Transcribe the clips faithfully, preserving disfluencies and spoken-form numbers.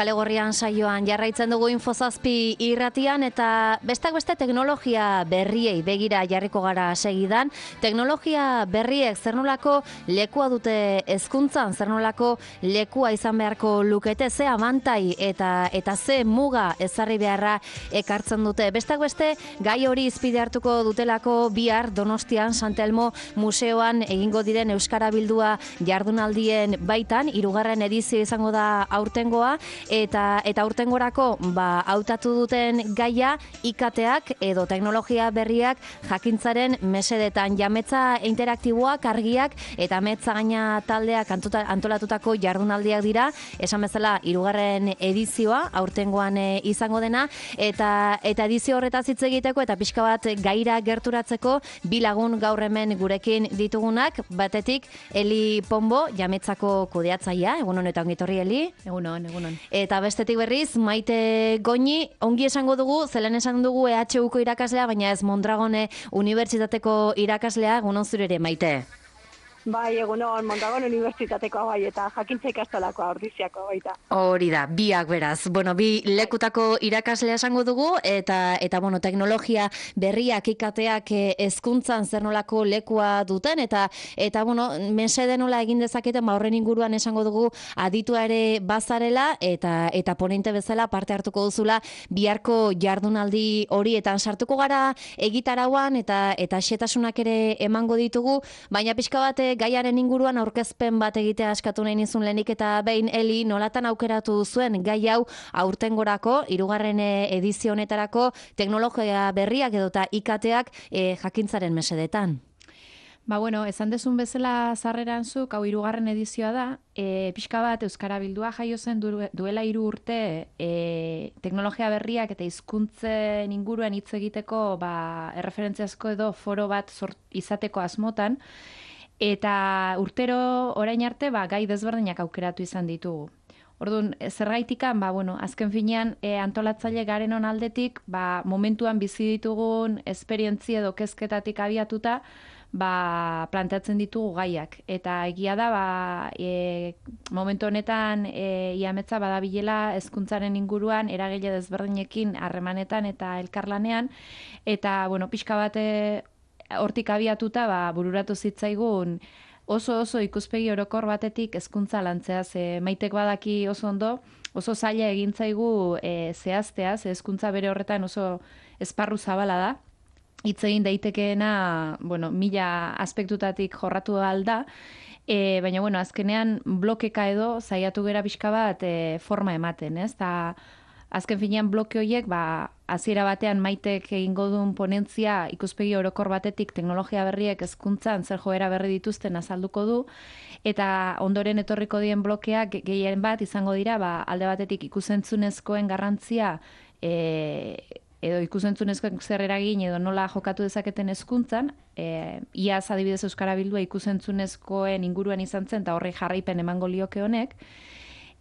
Kale Gorrian saioan jarraitzen dugu Infozazpi irratian eta bestak beste teknologia berriei begira jarriko gara segidan. Teknologia berriek zer nolako lekua dute hezkuntzan, zer nolako lekua izan beharko lukete, ze abantai eta eta ze muga ezarri beharra ekartzen dute. Bestak beste gai hori izpide hartuko dutelako bihar Donostian Santelmo Museoan egingo diren Euskara Bildua jardunaldien baitan, hirugarren edizio izango da aurtengoa. Eta eta aurtengorako ba hautatu duten gaia I K Teak edo teknologia berriak jakintzaren mesedetan, jametza interaktiboak, argiak eta metza gaina taldeak antolatutako jardunaldiak dira. Esan bezala hirugarren edizioa aurtengoan e, izango dena eta eta edizio horretaz hitz egiteko eta pixka bat gaira gerturatzeko bi lagun gaur hemen gurekin ditugunak. Batetik Eli Pombo, jametzako kudeatzailea. Egun hon eta ongi etorri Eli. Egun hon, egun hon. Eta bestetik berriz, Maite Goñi, ongi esango dugu, zelen esan dugu E H Uko irakaslea, baina ez Mondragone Unibertsitateko irakaslea, egunon zure ere, Maite. Bai, egunon, Mondragon Unibertsitatekoa bai, eta jakintza ikastolakoa, ordiziakoa baita. Hori da, biak beraz. Bueno, bi lekutako irakaslea esango dugu, eta, eta bueno, teknologia berriak ikateak hezkuntzan zer nolako lekua duten, eta, eta bueno, mesede nola egin dezaketen, ba horren inguruan esango dugu aditua ere bazarela, eta, eta ponente bezala parte hartuko duzula biharko jardunaldi horietan sartuko gara egitarauan, eta, eta xetasunak ere emango ditugu, baina pixka bat gaiaren inguruan aurkezpen bat egitea askatu nahi nizun lehenik eta behin Eli, nolatan aukeratu zuen gai hau aurtengorako, hirugarren edizio honetarako teknologia berriak edota I K Teak e, jakintzaren mesedetan? Ba bueno, esan dezun bezala sarreran zuk, hau hirugarren edizioa da, e, pixka bat Euskara Bildua jaio zen du, duela hiru urte e, teknologia berriak eta hizkuntzen inguruan hitz egiteko ba, erreferentziazko edo foro bat sort, izateko asmotan, eta urtero orain arte ba, gai desberdinak aukeratu izan ditugu. Orduan, zergaitikan, ba, bueno, azken finean e, antolatzaile garen on aldetik, ba, momentuan bizi ditugun esperientzia edo kezketatik abiatuta, ba, planteatzen ditugu gaiak. Eta egia da, ba, e, momentu honetan e, iametza badabilela hezkuntzaren inguruan eragile desberdinekin harremanetan eta elkarlanean, eta bueno, pixka bate hortik abiatuta ba, bururatu zitzaigun oso oso ikuspegi orokor batetik hezkuntza lantzea, ze Maitek badaki oso ondo, oso zaila egin zaigu e, zehaztea, ze hezkuntza bere horretan oso esparru zabala da. Hitz egin daitekeena, bueno, mila aspektutatik jorratu alda, e, baina bueno, azkenean blokeka edo saiatu gera pixka bat e, forma ematen, ez? Ta azken finean bloke horiek, ba, hasiera batean Maitek egingo duen ponentzia ikuspegi orokor batetik teknologia berriek hezkuntzan zer joera berri dituzten azalduko du, eta ondoren etorriko dien blokeak gehien bat izango dira, ba, alde batetik ikusentzunezkoen garrantzia e, edo ikusentzunezkoen zer eragin edo nola jokatu dezaketen hezkuntzan, e, iaz adibidez Euskara Bildua ikusentzunezkoen inguruan izan zen, eta horri jarraipen emango lioke honek.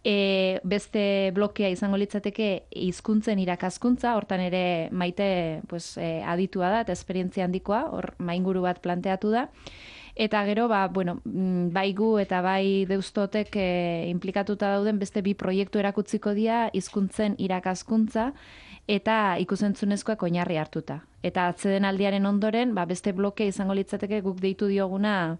E, beste blokea izango litzateke hizkuntzen irakaskuntza, hortan ere Maite pues, e, aditua da eta esperientzia handikoa, hor mainguru bat planteatu da. Eta gero, ba, bueno, bai gu eta bai deustotek e, implikatuta dauden beste bi proiektu erakutziko dira hizkuntzen irakaskuntza eta ikusentzunezkoak oinarri hartuta. Eta atzeden aldiaren ondoren, ba, beste blokea izango litzateke guk deitu dioguna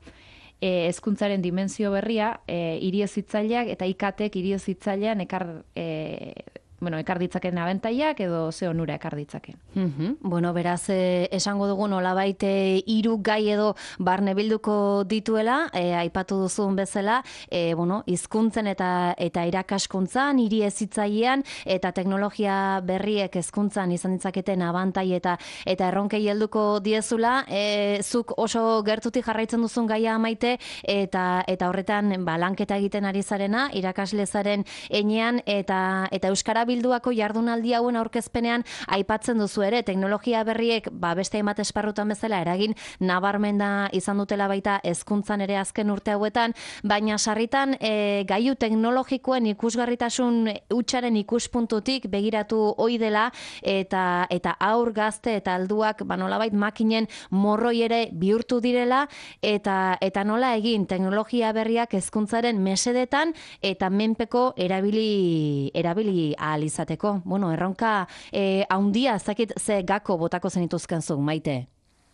hezkuntzaren dimensio berria, e, hiri hezitzaileak eta I K Teek hiri hezitzailean ekar e, bueno, ekar ditzaken abentaiak edo ze onura ekar ditzaken. Mm-hmm. Bueno, beraz, eh, esango dugu nolabait hiru gai edo barne bilduko dituela, eh, aipatu duzun bezala, eh, bueno, hizkuntzen eta eta irakaskuntzan, hiri hezitzailean eta teknologia berriek hezkuntzan izan ditzaketen abantai eta eta erronkei helduko diezula, eh, zuk oso gertutik jarraitzen duzun gaia Maite, eta eta horretan ba, lanketa egiten ari zarena, irakaslezaren enean eta eta Euskara bilduako jardunaldi hauen aurkezpenean aipatzen duzu ere, teknologia berriek ba, beste hainbat esparrutan bezala eragin nabarmena izan dutela baita hezkuntzan ere azken urte hauetan, baina sarritan e, gailu teknologikoen ikusgarritasun hutsaren ikuspuntutik begiratu ohi dela eta eta aur gazte eta alduak ba, nolabait makinen morroi ere bihurtu direla eta eta nola egin teknologia berriak hezkuntzaren mesedetan eta menpeko erabili erabili ahal izateko. Bueno, erronka eh, haundia, ez dakit ze gako botako zenituzken zuk, Maite?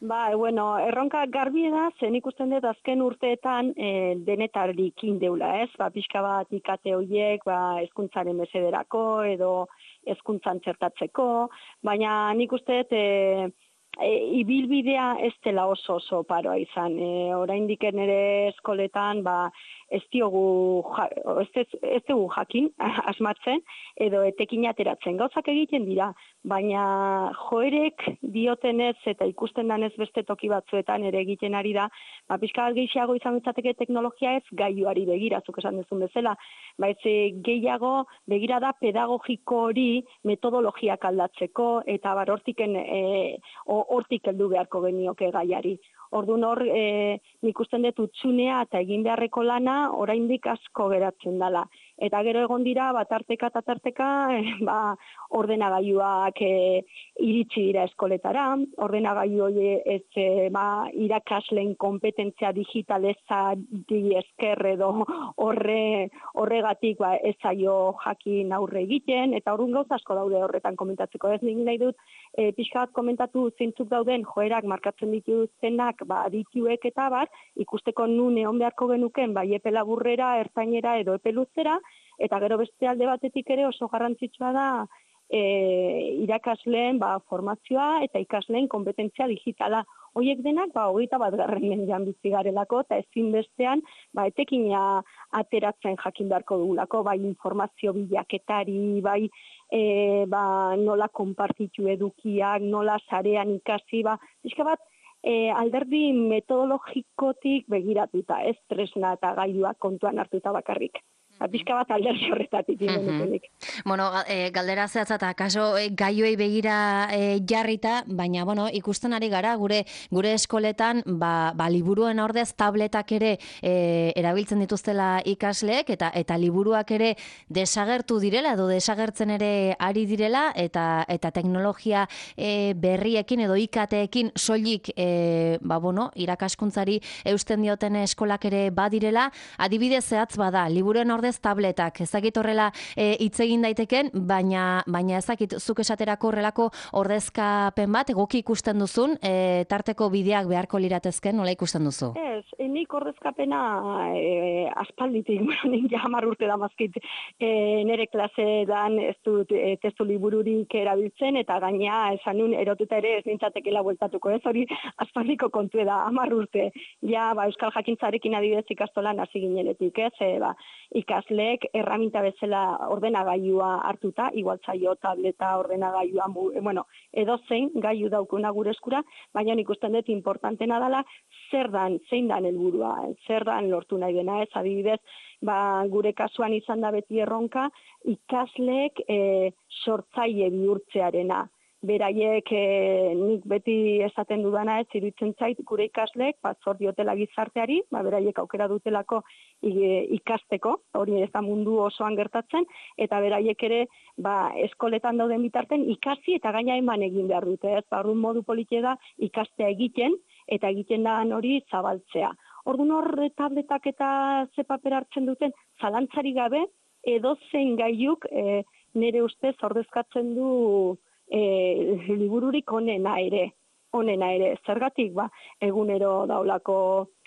Ba, bueno, erronka garbi da, zen ikusten dut azken urteetan e, denetarikin deula, ez? Ba, pixka bat ikate horiek, ba, hezkuntzaren mesederako edo hezkuntzan txertatzeko, baina nik uste dut e, e, ibilbidea ez dela oso oso paroa izan. E, oraindik ere eskoletan, ba, ez diogu, ez, ez dugu jakin, asmatzen, edo etekin ateratzen. Gauzak egiten dira, baina joerek diotenez eta ikusten danez beste toki batzuetan ere egiten ari da, ba, pixka bat gehiago izan ditzateke teknologia ez gailuari begira, zuk esan duzun bezala, ba, ez gehiago begira da pedagogiko hori metodologiak aldatzeko, eta bar hortiken, e, hortik heldu beharko genioke gaiari. Orduan hor, e, nik usten dut utxunea eta egin beharreko lana oraindik asko geratzen dela. Eta gero egon dira, bat tarteka eta tarteka, e, ba, ordenagailuak e, iritsi dira eskoletara, ordenagailu hori ez e, ba, irakasleen kompetentzia digitalezari esker edo horre, horregatik ba, ez zaio jakin aurre egiten, eta orduan gauza asko daude horretan komentatzeko. Ez nik nahi dut, e, pixka bat komentatu zeintzuk dauden joerak markatzen dituztenak ba, adituek eta bar, ikusteko nun egon beharko genuken, bai epe laburrera, ertainera edo epe luzera, eta gero beste alde batetik ere oso garrantzitsua da e, irakasleen ba, formazioa eta ikasleen kompetentzia digitala. Hoiek denak, ba, hogeita bat garren mendean bizi garelako, eta ezin bestean, ba, etekina ateratzen jakin beharko dugulako, bai informazio bilaketari, bai e, ba, nola konpartitu edukiak, nola sarean ikasi, ba, pixka bat, E, alderdi metodologikotik begiratuta, ez tresna eta gailuak kontuan hartuta bakarrik. Pixka bat alderdi horretatik irenetenik. Bueno, e, galdera zehatza eta kaso e, gaioei begira e, jarrita, baina bueno, ikusten ari gara gure gure eskoletan ba, ba liburuen ordez tabletak ere e, erabiltzen dituztela ikasleek eta eta liburuak ere desagertu direla edo desagertzen ere ari direla eta eta teknologia e, berriekin edo I K T-ekin soilik e, ba bueno, irakaskuntzari eusten dioten eskolak ere badirela, adibide zehatz bada, liburuen ordez tabletak, ezakit horrela hitz egin daiteken, baina baina ezakit zuk esaterako horrelako ordezkapen bat egoki ikusten duzun, e, tarteko bideak beharko liratezken, nola ikusten duzu? Ez, nik ordezkapena e, aspalditik, nik ja hamar urte damazkit e, nire klasedan ez dut e, testu libururik erabiltzen, eta gaina esan nun erotuta ere ez nintzatekela bueltatuko, ez hori aspaldiko kontu da, hamar urte, ja ba, Euskal Jakintzarekin adibidez ikastolan hasi ginenetik, ez, e, ba, ikasleek erraminta bezala ordenagailua hartuta, igual zaio tableta ordenagailua, bueno, edozein gailu daukuna gure eskura, baina ikusten dut importantena dela zer dan, zein dan helburua, zer dan lortu nahi dena, ez adibidez, ba, gure kasuan izan da beti erronka, ikasleek e, sortzaile bihurtzearena. Beraiek e, nik beti esaten dudana ez, iruditzen zait gure ikasleek, bat zor diotela gizarteari, ba, beraiek aukera dutelako ikasteko, hori ez da mundu osoan gertatzen, eta beraiek ere ba, eskoletan dauden bitarten ikasi eta gaina eman egin behar dute, ez, ba, orduan modu politia da ikastea egiten, eta egiten da hori zabaltzea. Orduan hor tabletak eta ze paper hartzen duten, zalantzari gabe, edozein gailuk e, nire ustez ordezkatzen du E, libururik onena ere, onena ere, zergatik, ba, egunero daulako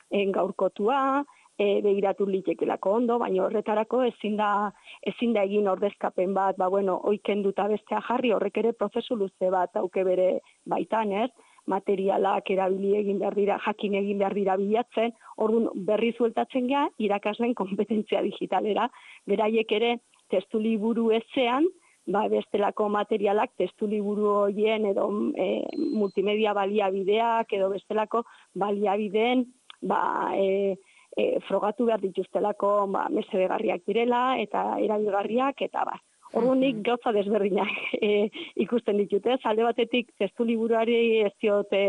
gaurkotua, e, begiratu litekelako ondo, baina horretarako ezin da, ezin da egin ordezkapen bat, ba, bueno, oikenduta bestea jarri, horrek ere prozesu luze bat auke bere baitan, ez? Materialak erabili egin behar dira, jakin egin behar dira bilatzen, orduan berri zueltatzen gea, irakasleen kompetentzia digitalera, beraiek ere testu liburu ezean, ba, bestelako materialak, testu liburu horien edo e, multimedia baliabideak edo bestelako baliabideen ba, e, e, frogatu behar dituztelako ba, mesedegarriak direla eta erabilgarriak eta ba. Ordunik gauza desberdinak e, ikusten ditute. Alde batetik testu liburuari ez diote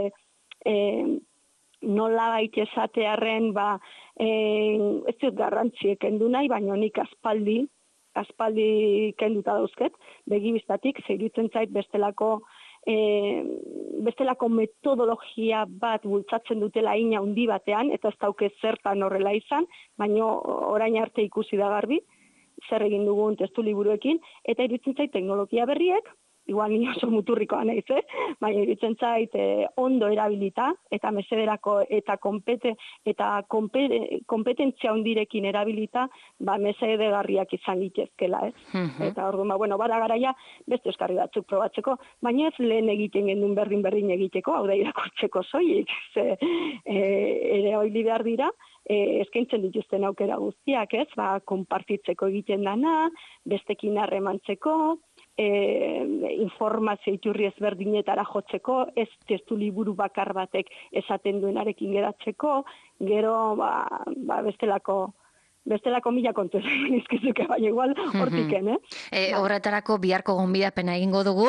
e, nola baita esatearren, ba, e, ez dut garrantziek kendu nahi, baina nik aspaldi, aspaldi kenduta dauzket, begibistatik, zeiritzen zait bestelako E, bestelako metodologia bat bultzatzen dutela ina handi batean, eta ez dauke zertan horrela izan, baina orain arte ikusi da garbi, zer egin dugun testu liburuekin, eta iruditzen zait teknologia berriek, igual ni oso muturrikoa naiz, eh? Baina iruditzen zait eh, ondo erabilita, eta mesederako eta kompete, eta kompete, kompetentzia hundirekin erabilita, ba mesedegarriak izan litezkela, ez? Mhm. Eta orduan, ba, bueno, bada garaia beste euskarri batzuk probatzeko, baina ez lehen egiten gendun berdin berdin egiteko, hau da irakurtzeko soilik, ze e, ere hori behar dira, e, eskaintzen dituzten aukera guztiak, ez? Ba, konpartitzeko egiten dana, bestekin harremantzeko, E, informazio iturri ezberdinetara jotzeko, ez testu liburu bakar batek esaten duenarekin geratzeko, gero ba, ba bestelako bestelako mila kontu esan izkizuke, baina igual hortiken, eh? E, horretarako biharko gonbidapena egingo dugu,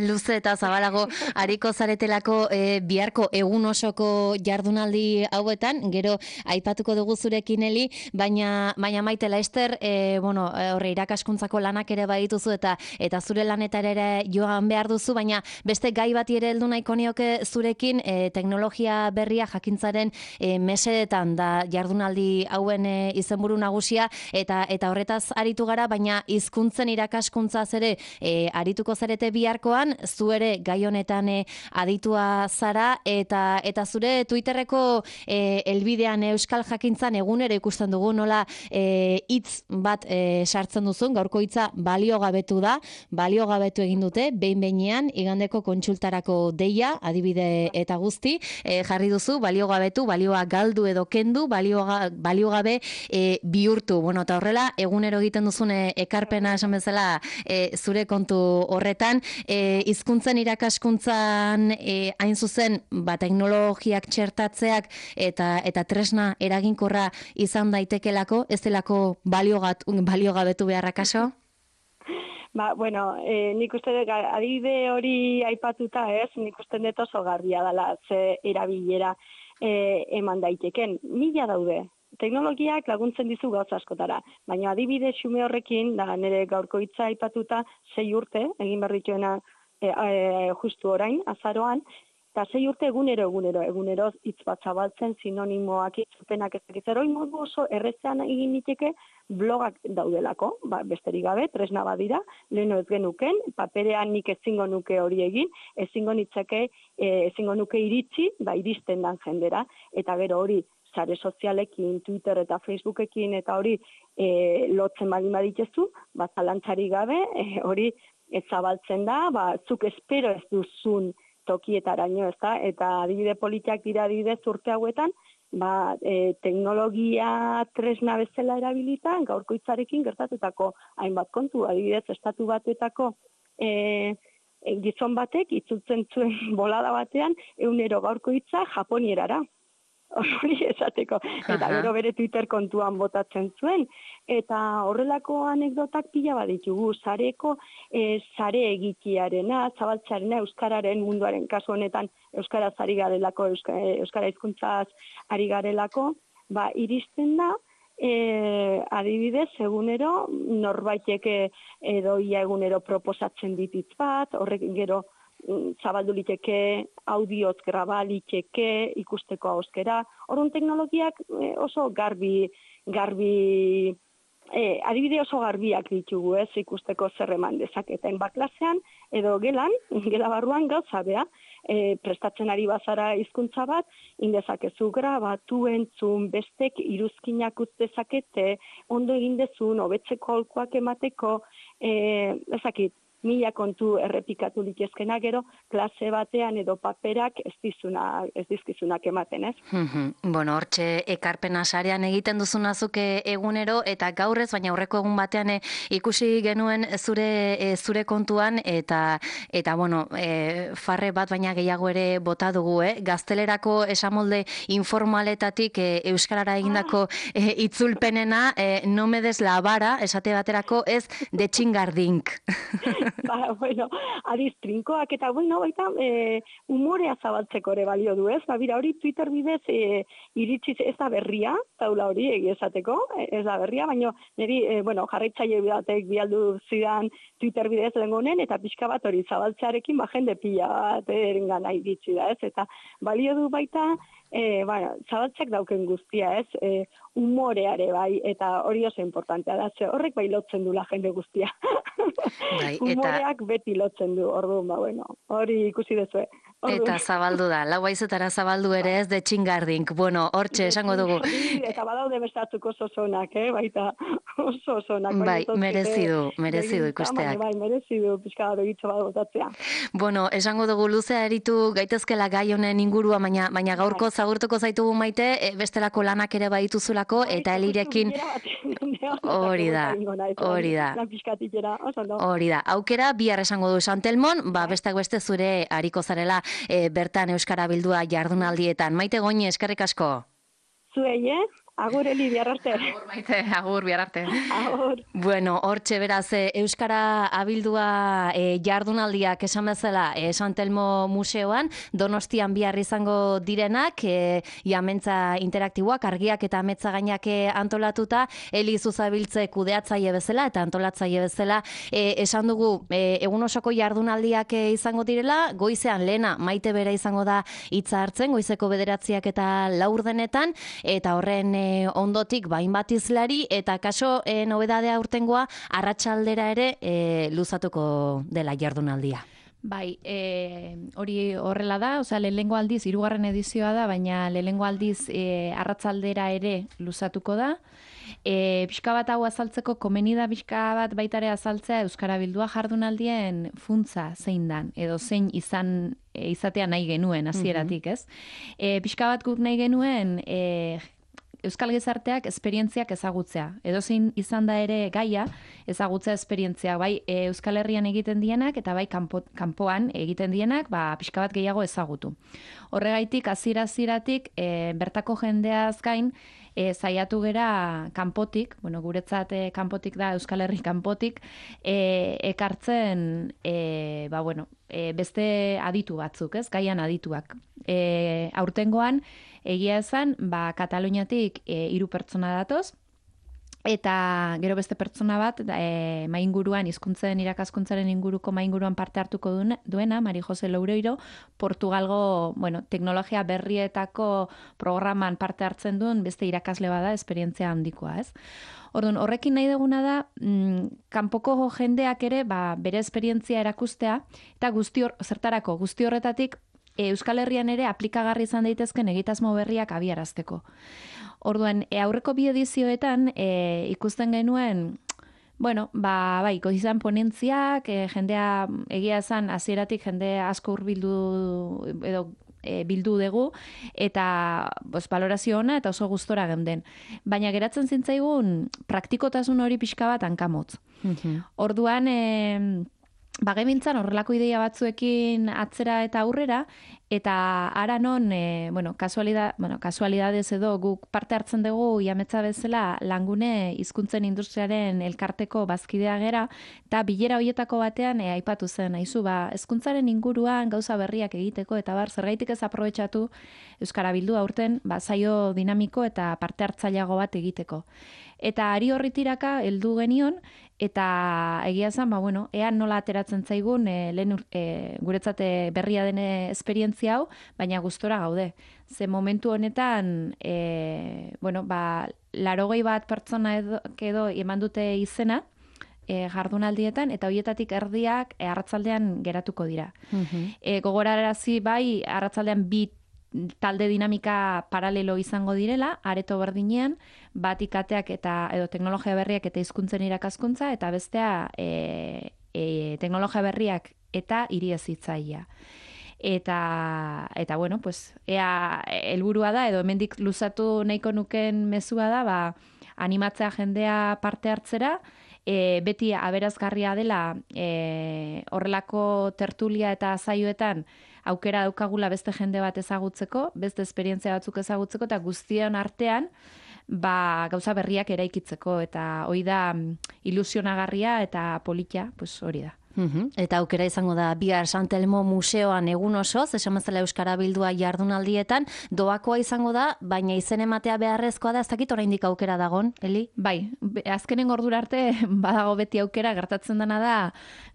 luze eta zabalago ariko zaretelako e, biharko egun osoko jardunaldi hauetan, gero aipatuko dugu zurekin Eli, baina, baina Maite Laster, e, bueno, horre irakaskuntzako lanak ere badituzu eta eta zure lanetara ere joan behar duzu, baina beste gai bati ere heldu nahiko nioke zurekin, e, teknologia berria jakintzaren e, mesedetan da jardunaldi hauen e, izenburu nagusia eta eta horretaz aritu gara, baina hizkuntzen irakaskuntzaz ere e, arituko zarete biharkoan, zu ere gai honetan e, aditua zara eta eta zure Twitterreko e, elbidean Euskal Jakintzan egunero ikusten dugu nola e, hitz bat e, sartzen duzun, gaurko hitza baliogabetu da, baliogabetu egin dute behin behinean igandeko kontsultarako deia, adibide eta guzti, e, jarri duzu baliogabetu, balioa galdu edo kendu, balioga, baliogabe e, bihurtu. Bueno, eta horrela, egunero egiten duzune ekarpena esan bezala e, zure kontu horretan, e, hizkuntzen irakaskuntzan e, hain zuzen, ba, teknologiak txertatzeak eta eta tresna eraginkorra izan daitekelako, ez delako baliogat, baliogabetu beharrakaso? Ba, bueno, e, nik uste dut, adibide hori aipatuta ez, nik uste dut oso garbia dela ze erabilera e, eman daiteken. Mila daude. Teknologiak laguntzen dizu gauza askotara, baina adibide xume horrekin, da nire gaurko hitza aipatuta, sei urte, egin berrituena e, e, justu orain, azaroan, eta sei urte egunero, egunero, egunero hitz bat zabaltzen, sinonimoak, itzupenak ezakitzero, modu oso errezean egin niteke blogak daudelako, ba, besterik gabe, tresna badira, leheno ez genuken, paperean nik ezingo nuke hori egin, ezingo nitzake, e, ezingo nuke iritsi, ba, iristen dan jendera, eta gero hori, sare sozialekin, Twitter eta Facebookekin eta hori e, lotzen baldin baditezu, ba, zalantzari gabe, e, hori ez zabaltzen da, ba, zuk espero ez duzun tokietaraino, ez da, eta adibide politiak dira adibidez urte hauetan, ba, e, teknologia tresna bezala erabilita, gaurko hitzarekin gertatutako hainbat kontu, adibidez, estatu batuetako e, e, gizon batek, itzultzen zuen bolada batean, egunero gaurko hitza japonierara. Hori esateko, eta gero bere Twitter kontuan botatzen zuen, eta horrelako anekdotak pila baditugu, sareko e, sare egikiarena, zabaltzearena, euskararen munduaren kasu honetan, euskaraz ari garelako, euskara, euskara hizkuntzaz ari garelako, ba, iristen da, e, adibidez, egunero, norbaitek edo ia egunero proposatzen dititz bat, horrek gero, zabaldu liteke, audioz graba liteke, ikusteko auskera. Orduan teknologiak oso garbi, garbi, eh, adibide oso garbiak ditugu, ez, ikusteko zer eman dezaketen baklasean, edo gelan, gela barruan gauza bea, e, prestatzen ari bazara hizkuntza bat, indezakezu grabatu, entzun, bestek iruzkinak utzezakete, ondo egin dezun, hobetzeko aholkuak emateko, eh, ezakit, mila kontu errepikatu litezkena gero, klase batean edo paperak ez dizuna, ez dizkizunak ematen, ez? Bueno, hortxe ekarpena sarean egiten duzunazuke egunero, eta gaurrez, baina aurreko egun batean ikusi genuen zure zure kontuan, eta, eta bueno, e, farre bat baina gehiago ere bota dugu, eh? Gaztelerako esamolde informaletatik e, euskarara egindako e, itzulpenena, e, no me des la vara, esate baterako ez de txingardink. Ba, bueno, adiz trinkoak eta bueno, baita e, umorea zabaltzeko ere balio du, ez? Ba, bira, hori Twitter bidez e, iritsi ez da berria, taula hori egia esateko, ez da berria, baina niri, e, bueno, jarraitzaile batek bialdu zidan Twitter bidez lengonen, eta pixka bat hori zabaltzearekin, ba, jende pila bat erengana iritsi da, ez? Eta balio du baita, e, bueno, zabaltzak dauken guztia, ez? E, umoreare bai, eta hori oso importantea da, ze horrek bai lotzen du la jende guztia. Bai, Umoreak eta... beti lotzen du, orduan, ba, bueno, hori ikusi dezue. Eta zabaldu da, lau haizetara zabaldu ere ez de txingardink. Bueno, hortxe, esango dugu. Eta badaude bestatzuk oso zonak, eh? Baita oso zonak. Bai, merezi du, merezi du ikusteak. Bai, merezi du, pixka begitxo bat botatzea. Bueno, esango dugu luzea eritu gaitezkela gai honen ingurua, baina, baina gaurko zagurtuko zaitugu Maite, e, bestelako lanak ere badituzulako, eta Elirekin... Hori da, hori da. Hori da, aukera, bihar esango du Santelmon, ba, bestak beste zure hariko zarela e, bertan Euskara Bildua jardunaldietan. Maite Goñi, eskerrik asko. Zuei, eh? Agur, Eli, bihar arte. Agur, Maite, agur, bihar arte. Agur. Bueno, hortxe beraz, Euskara abildua e, jardunaldiak esan bezala e, San Telmo Museoan, Donostian bihar izango direnak, e, iamentza interaktiboak, argiak eta ametza gainak antolatuta, Eli Zuzabiltze kudeatzaile bezala eta antolatzaile bezala, e, esan dugu e, egun osoko jardunaldiak e, izango direla, goizean lehena Maite bera izango da hitza hartzen, goizeko bederatziak eta laurdenetan, eta horren e, ondotik bain bat izlari, eta kaso e, nobedadea urtengoa arratsaldera ere e, luzatuko dela jardunaldia. Bai, e, hori horrela da, osea, lehengo aldiz, hirugarren edizioa da, baina lehengo aldiz e, arratsaldera ere luzatuko da. E, pixka bat hau azaltzeko, komeni da pixka bat baitare azaltzea Euskara Bildua jardunaldien funtza zein dan, edo zein izan e, izatea nahi genuen, hasieratik, ez? E, pixka bat guk nahi genuen... E, Euskal gizarteak esperientziak ezagutzea. Edozein izan da ere gaia ezagutzea esperientzia. Bai e, Euskal Herrian egiten dienak eta bai kanpo, kanpoan egiten dienak ba, pixka bat gehiago ezagutu. Horregaitik, hasiera-hasieratik e, bertako jendeaz gain e, saiatu gera kanpotik, bueno, guretzat e, kanpotik da Euskal Herri kanpotik, e, ekartzen e, ba, bueno, e, beste aditu batzuk, ez? Gaian adituak. E, aurtengoan, egia esan, ba, Kataluniatik e, hiru pertsona datoz, eta gero beste pertsona bat, e, mainguruan, hizkuntzen irakaskuntzaren inguruko mainguruan parte hartuko duena, Mari Jose Loureiro, Portugalgo, bueno, teknologia berrietako programan parte hartzen duen, beste irakasle bada, esperientzia handikoa, ez? Orduan, horrekin nahi duguna da, mm, kanpoko jendeak ere, ba, bere esperientzia erakustea, eta guzti hor, zertarako, guzti horretatik, Euskal Herrian ere aplikagarri izan daitezken egitasmo berriak abiarazteko. Orduan, e, aurreko bi edizioetan e, ikusten genuen, bueno, ba, bai, izan ponentziak, e, jendea egia esan hasieratik jende asko hurbildu edo e, bildu dugu, eta bos, balorazio ona eta oso gustora geunden. Baina geratzen zintzaigun praktikotasun hori pixka bat hankamotz. Mm-hmm. Orduan, e, bagemintzan horrelako ideia batzuekin atzera eta aurrera, eta ara non, e, bueno, kasualidad, bueno, kasualidadez edo guk parte hartzen dugu iametza bezala langune hizkuntzen industriaren elkarteko bazkidea gera, eta bilera hoietako batean e, aipatu zen, aizu, ba, hezkuntzaren inguruan gauza berriak egiteko, eta bar, zergaitik ez aprobetxatu Euskara Bildua aurten, ba, saio dinamiko eta parte hartzaileago bat egiteko. Eta ari horri tiraka heldu genion, eta egia zen, ba, bueno, ean nola ateratzen zaigun, e, lehen e, guretzate berria dene esperientzia hau, baina gustora gaude. Ze momentu honetan, e, bueno, ba, larogei bat pertsona edo, edo eman dute izena, e, jardunaldietan, eta hoietatik erdiak e, arratzaldean geratuko dira. Mm-hmm. E, gogorarazi bai, arratzaldean bi talde dinamika paralelo izango direla, areto berdinean, bat ikateak eta edo teknologia berriak eta hizkuntzen irakaskuntza, eta bestea e, e, teknologia berriak eta hiriezitzailea. Eta, eta bueno, pues, ea helburua da, edo hemendik luzatu nahiko nuken mezua da, ba, animatzea jendea parte hartzera, e, beti aberazgarria dela e, horrelako tertulia eta saioetan aukera daukagula beste jende bat ezagutzeko, beste esperientzia batzuk ezagutzeko, eta guztion artean ba, gauza berriak eraikitzeko, eta hori da ilusionagarria eta politia, pues hori da. Uhum. Eta aukera izango da bihar Sant Elmo museoan egun osoz, esan bezala Euskara Bildua jardunaldietan, doakoa izango da, baina izen ematea beharrezkoa da, ez dakit oraindik aukera dagon, Eli? Bai, azkenen ordura arte badago beti aukera, gertatzen dena da,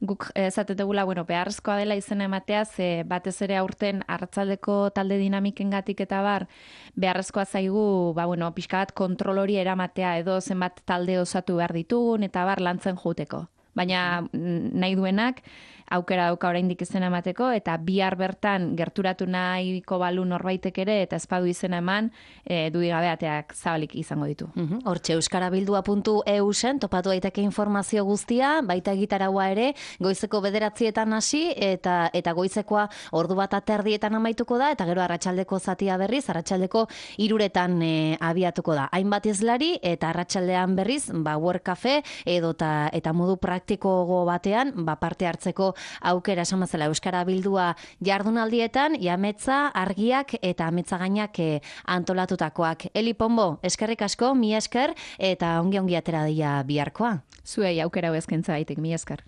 guk esatetegula, bueno, beharrezkoa dela izen ematea, ze batez ere aurten arratsaldeko talde dinamikengatik eta bar, beharrezkoa zaigu, ba, bueno, pixka bat kontrol hori eramatea, edo zenbat talde osatu behar ditugun, eta bar lantzen jouteko. Baina nahi duenak aukera dauka oraindik izena emateko, eta bihar bertan gerturatu nahiko balu norbaitek ere, eta espadu izena eman, e, dudigabeateak zabalik izango ditu. Uhum. Hortxe euskarabildua puntu e u zen topatu daiteke informazio guztia, baita egitaraua ere, goizeko bederatzietan hasi, eta eta goizekoa ordu bat aterdietan amaituko da, eta gero arratsaldeko zatia berriz, arratsaldeko hiruretan e, abiatuko da. Hainbat izlari, eta arratsaldean berriz, ba, work cafe, edo ta, eta modu praktikogo batean, ba, parte hartzeko aukera esan bezala Euskara Bildua jardunaldietan, jametza, argiak eta ametzagainak e, antolatutakoak. Eli Pombo, eskerrik asko, mi esker, eta ongi ongi atera daia biharkoa. Zuei aukera hau eskaintza baitik, mi esker.